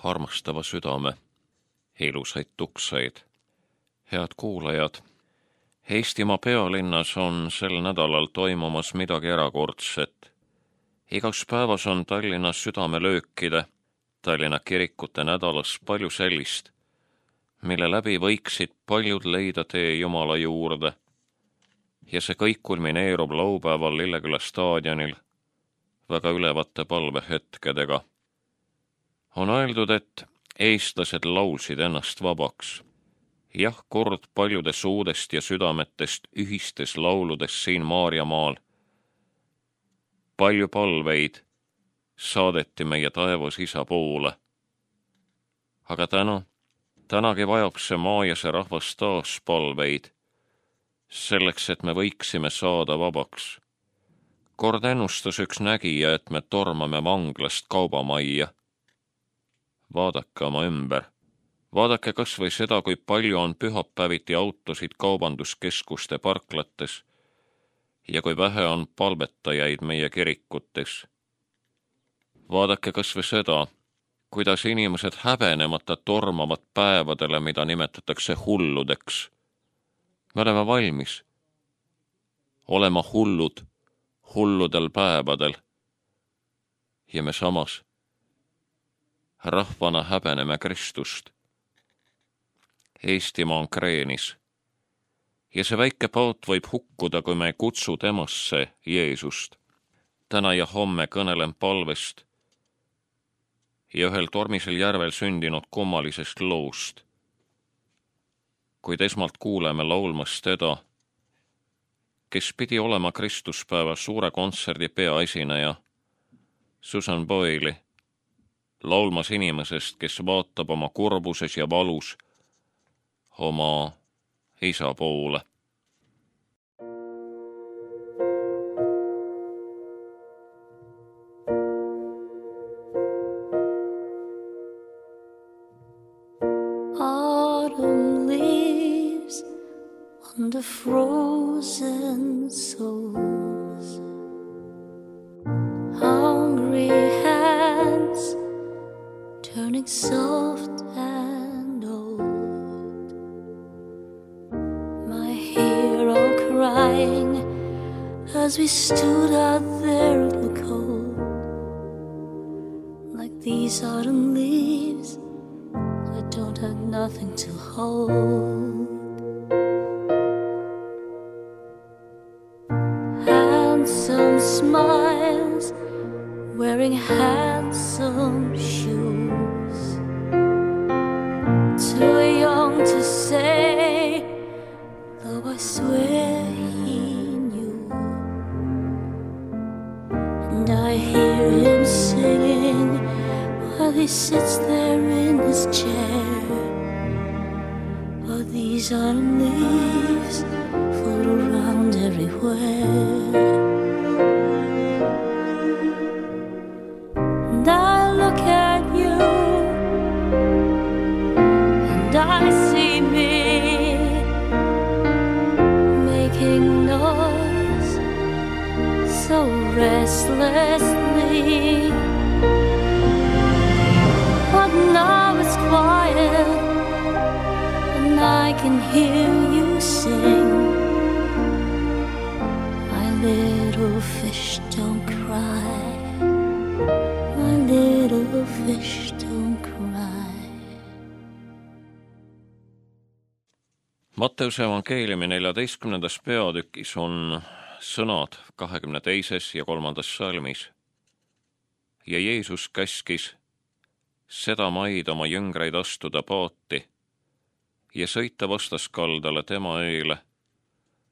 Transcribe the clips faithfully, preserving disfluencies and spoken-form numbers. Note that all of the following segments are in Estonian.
armastava südame, ilusaid tukseid. Head kuulajad, Eestimaa pealinnas on sel nädalal toimumas midagi erakordset. Igas päevas on Tallinnas südamelöökide, Tallinna kirikute nädalas palju sellist, mille läbi võiksid paljud leida tee Jumala juurde. Ja see kõik kulmineerub laupäeval Lilleküla staadionil väga ülevate palvehetkedega. On öeldud, et eestlased laulsid ennast vabaks. Jah, kord paljude suudest ja südametest ühistes lauludes siin Maarjamaal. Palju palveid saadeti meie taevas Isa poole. Aga täna, tänagi vajab see maa ja see rahvas taas palveid, selleks, et me võiksime saada vabaks. Kord ennustas üks nägija, et me tormame vanglast kaubamajja. Vaadake oma ümber. Vaadake kas või seda, kui palju on pühapäeviti autosid kaubanduskeskuste parklates ja kui vähe on palvetajaid meie kirikutes. Vaadake kas või seda, kuidas inimesed häbenemata tormavad päevadele, mida nimetatakse hulludeks. Me oleme valmis olema hullud hulludel päevadel ja me samas rahvana häbeneme Kristust. Eestimaa on kreenis ja see väike paat võib hukkuda, kui me ei kutsu temasse Jeesust. Täna ja homme kõnelen palvest ja ühel tormisel järvel sündinud kummalisest loost. Kuid esmalt kuuleme laulmas teda, kes pidi olema Kristuspäeva suure kontserdi peaesineja, Susan Boyle'i, laulmas inimesest, kes vaatab oma kurbuses ja valus oma Isa poole. Autumn leaves on the frozen souls, hungry hands turning soft and old, my hero crying as we stood out there in the cold. Like these autumn leaves, I don't have nothing to hold. Handsome smiles, wearing handsome shoes, too young to say, though I swear he knew. And I hear him singing while he sits there in his chair. But these autumn leaves float around everywhere. And I look at you and I see me making noise so restlessly. But now it's quiet and I can hear you sing. My little fish don't cry, my little fish don't cry. Matteuse evangeeliumi neljateistkümnendas peatükis on sõnad kahekümne teises ja kolmandas salmis. Ja Jeesus käskis seda maid oma jüngreid astuda paati ja sõita vastaskaldale tema eile,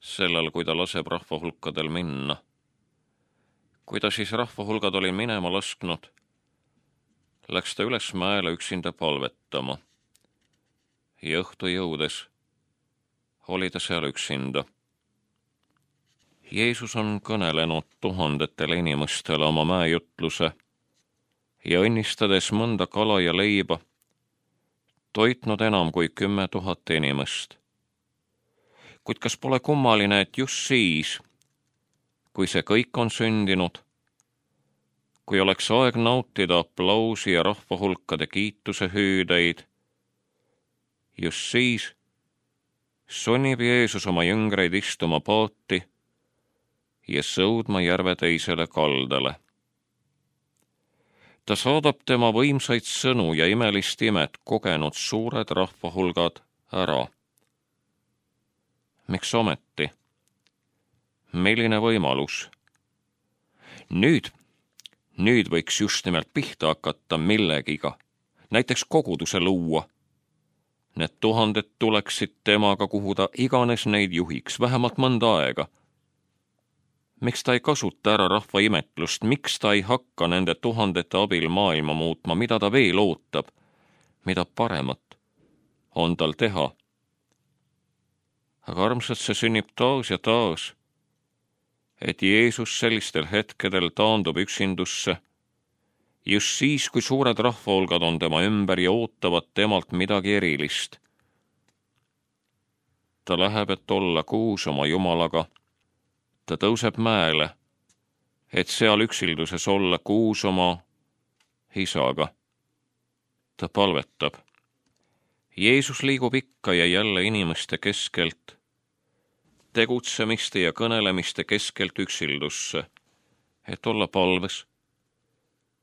sellel, kui ta laseb rahvahulkadel minna. Kui ta siis rahvahulgad oli minema lasknud, läks ta üles mäele üksinda palvetama. Ja õhtu jõudes oli ta seal üksinda. Jeesus on kõnelenud tuhandetele inimestele oma mäejutluse ja õnnistades mõnda kala ja leiba, toitnud enam kui kümme tuhat inimest. Kuid kas pole kummaline, et just siis, kui see kõik on sündinud, kui oleks aeg nautida aplausi ja rahvahulkade kiituse hüüdeid, just siis sunnib Jeesus oma jüngreid istuma paati ja sõudma järve teisele kaldale. Ta saadab tema võimsaid sõnu ja imelist imet kogenud suured rahvahulgad ära. Miks ometi? Milline võimalus? Nüüd, nüüd võiks just nimelt pihta hakata millegiga, näiteks koguduse luua. Need tuhanded tuleksid temaga, kuhu ta iganes neid juhiks, vähemalt mõnda aega. Miks ta ei kasuta ära rahva imetlust, miks ta ei hakka nende tuhandete abil maailma muutma, mida ta veel ootab, mida paremat on tal teha? Aga armsad, see sünnib taas ja taas, et Jeesus sellistel hetkedel taandub üksindusse, just siis, kui suured rahvahulgad on tema ümber ja ootavad temalt midagi erilist. Ta läheb, et olla kuus oma Jumalaga. Ta tõuseb mäele, et seal üksilduses olla kuus oma isaga. Ta palvetab. Jeesus liigub ikka ja jälle inimeste keskelt, tegutsemiste ja kõnelemiste keskelt üksildusse, et olla palves,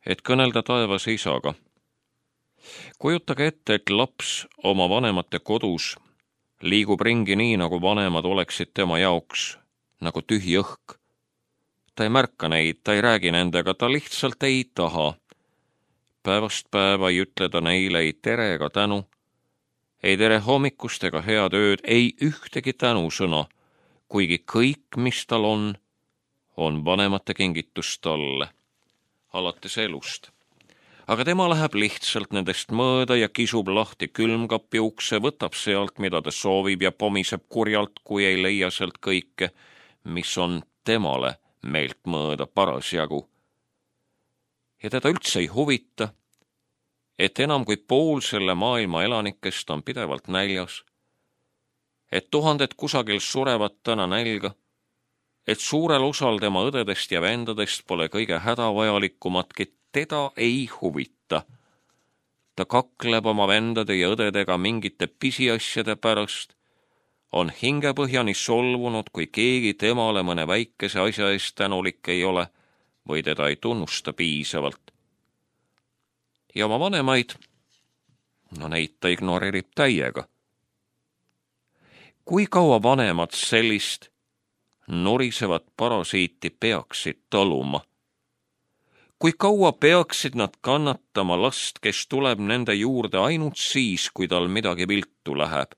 et kõnelda taevas isaga. Kujutage ette, et laps oma vanemate kodus liigub ringi nii, nagu vanemad oleksid tema jaoks, nagu tühi õhk. Ta ei märka neid, ta ei räägi nendega, ta lihtsalt ei taha. Päevast päeva ei ütle ta neile ei tere ega tänu, ei tere hommikust ega head ööd, ei ühtegi tänusõna, kuigi kõik, mis tal on, on vanemate kingitus talle, alates elust. Aga tema läheb lihtsalt nendest mööda ja kisub lahti külmkapi ukse, võtab sealt, mida ta soovib ja pomiseb kurjalt, kui ei leia sealt kõike, mis on temale meelt mööda parasjagu. Ja teda üldse ei huvita, et enam kui pool selle maailma elanikest on pidevalt näljas, et tuhanded kusagil surevad täna nälga, et suurel osal tema õdedest ja vendadest pole kõige hädavajalikumatki, teda ei huvita. Ta kakleb oma vendade ja õdedega mingite pisiasjade pärast, on hingepõhjani solvunud, kui keegi temale mõne väikese asja eest tänulik ei ole või teda ei tunnusta piisavalt. Ja oma vanemaid, no neid ta ignoreerib täiega. Kui kaua vanemad sellist nurisevat parasiiti peaksid taluma? Kui kaua peaksid nad kannatama last, kes tuleb nende juurde ainult siis, kui tal midagi viltu läheb?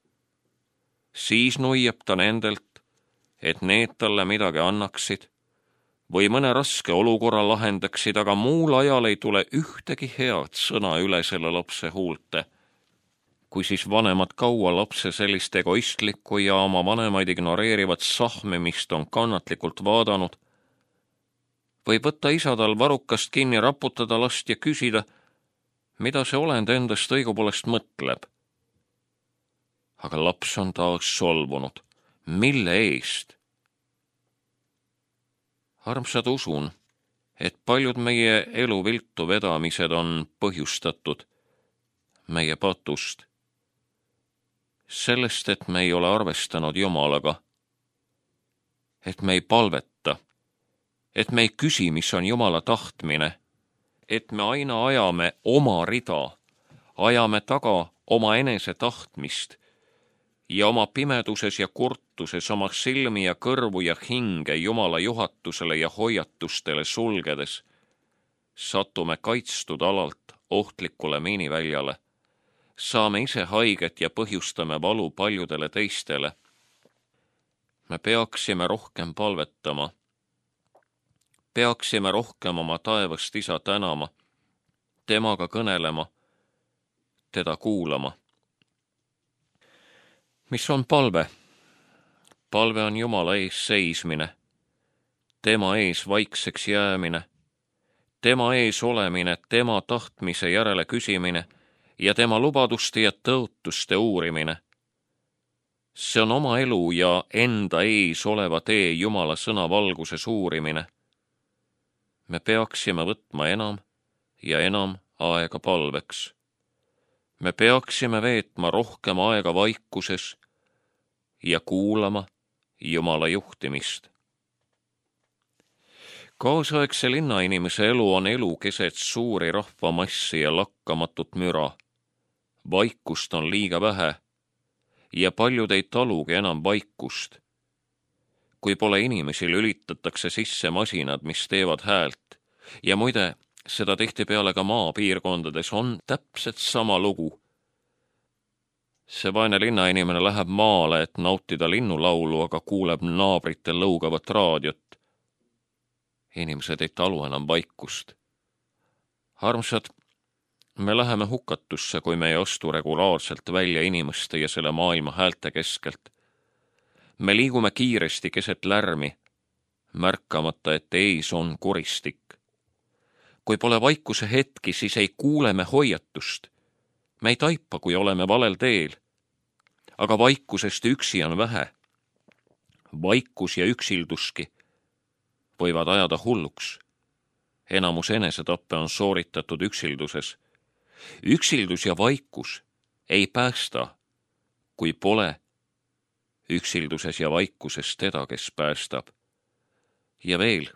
Siis nuiab ta nendelt, et need talle midagi annaksid või mõne raske olukorra lahendaksid, aga muul ajal ei tule ühtegi head sõna üle selle lapse huulte. Kui siis vanemad kaua lapse sellist egoistlikku ja oma vanemaid ignoreerivat sahmimist on kannatlikult vaadanud, võib võtta isa tal varrukast kinni, raputada last ja küsida, mida see olend endast õigupoolest mõtleb. Aga laps on taas solvunud. Mille eest? Armsad, usun, et paljud meie elu viltu vedamised on põhjustatud meie patust. Sellest, et me ei ole arvestanud Jumalaga, et me ei palveta, et me ei küsi, mis on Jumala tahtmine, et me aina ajame oma rida, ajame taga oma enese tahtmist ja oma pimeduses ja kurtuses oma silmi ja kõrvu ja hinge Jumala juhatusele ja hoiatustele sulgedes, satume kaitstud alalt ohtlikule miiniväljale, saame ise haiget ja põhjustame valu paljudele teistele. Me peaksime rohkem palvetama, peaksime rohkem oma taevast isa tänama, temaga kõnelema, teda kuulama. Mis on palve? Palve on Jumala ees seismine, tema ees vaikseks jäämine, tema ees olemine, tema tahtmise järele küsimine ja tema lubaduste ja tõotuste uurimine. See on oma elu ja enda ees oleva tee Jumala sõna valguses uurimine. me peaksime võtma enam ja enam aega palveks. Me peaksime veetma rohkem aega vaikuses ja kuulama Jumala juhtimist. Kaasaegse linnainimese elu on elu keset suuri rahvamassi ja lakkamatut müra. Vaikust on liiga vähe ja paljud ei talugi enam vaikust. Kui pole inimesi, lülitatakse sisse masinad, mis teevad häält. Ja muide, seda tihtipeale ka maapiirkondades on täpselt sama lugu. See vaene linnainimene läheb maale, et nautida linnulaulu, aga kuuleb naabrite lõugavat raadiot. Inimesed ei talu enam vaikust. Armsad, me läheme hukatusse, kui me ei astu regulaarselt välja inimeste ja selle maailma häälte keskelt. Me liigume kiiresti keset lärmi, märkamata, et ees on koristik. Kui pole vaikuse hetki, siis ei kuule me hoiatust. Me ei taipa, kui oleme valel teel. Aga vaikusest üksi on vähe. Vaikus ja üksilduski võivad ajada hulluks. Enamus enesetappe on sooritatud üksilduses. Üksildus ja vaikus ei päästa, kui pole üksilduses ja vaikuses teda, kes päästab. Ja veel,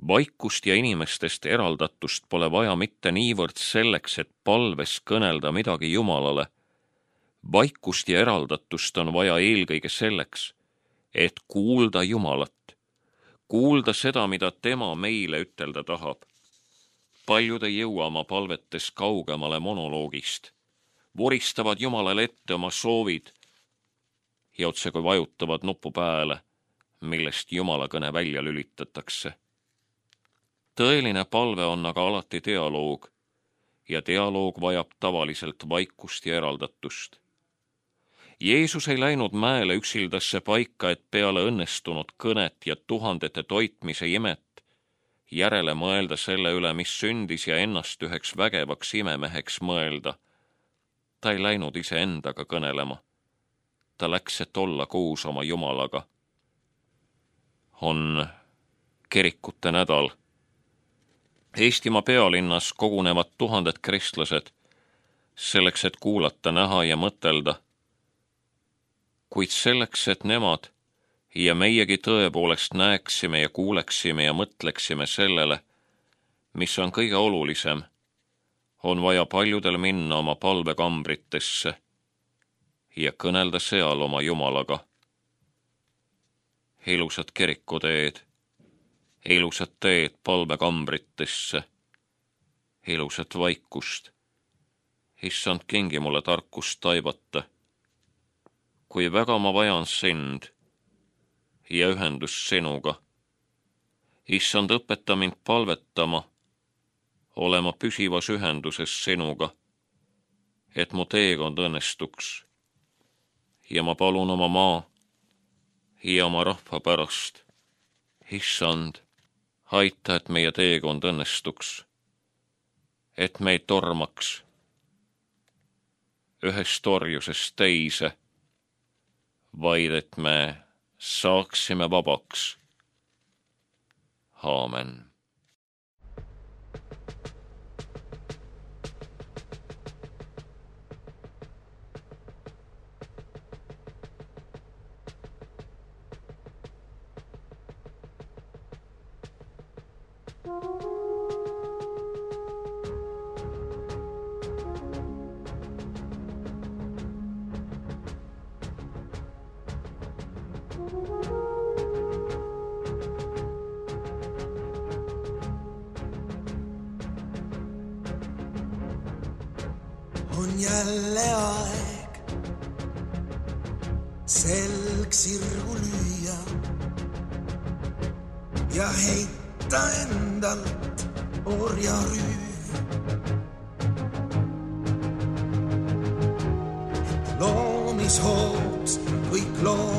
vaikust ja inimestest eraldatust pole vaja mitte niivõrd selleks, et palves kõnelda midagi Jumalale. Vaikust ja eraldatust on vaja eelkõige selleks, et kuulda Jumalat. Kuulda seda, mida tema meile ütelda tahab. Paljud ei jõua oma palvetes kaugemale monoloogist. Voristavad Jumalale ette oma soovid ja otse kui vajutavad nupu pääle, millest Jumala kõne välja lülitatakse. Tõeline palve on aga alati dialoog ja dialoog vajab tavaliselt vaikust ja eraldatust. Jeesus ei läinud mäele üksildasse paika, et peale õnnestunud kõnet ja tuhandete toitmise imet järele mõelda selle üle, mis sündis ja ennast üheks vägevaks imemeheks mõelda. Ta ei läinud ise endaga kõnelema. Ta läks, et olla koos oma Jumalaga. On kirikute nädal. Eestimaa pealinnas kogunevad tuhanded kristlased selleks, et kuulata, näha ja mõtelda. Kuid selleks, et nemad ja meiegi tõepoolest näeksime ja kuuleksime ja mõtleksime sellele, mis on kõige olulisem, on vaja paljudel minna oma palvekambritesse ja kõnelda seal oma Jumalaga. Ilusad kirikuteed, ilusad teed palvekambritesse, ilusat vaikust. Issand, kingi mulle tarkust taibata. Kui väga ma vajan sind ja ühendus sinuga. Issand, õpeta mind palvetama, olema püsivas ühenduses sinuga, et mu teekond õnnestuks. Ja ma palun oma maa ja oma rahva pärast. Issand, aita, et meie teekond õnnestuks, et me ei tormaks ühest orjusest teise, vaid et me saaksime vabaks. Aamen. On jälle aeg selg sirgu lüüa ja heita endalt orjarüü. Loomishooks kõik loom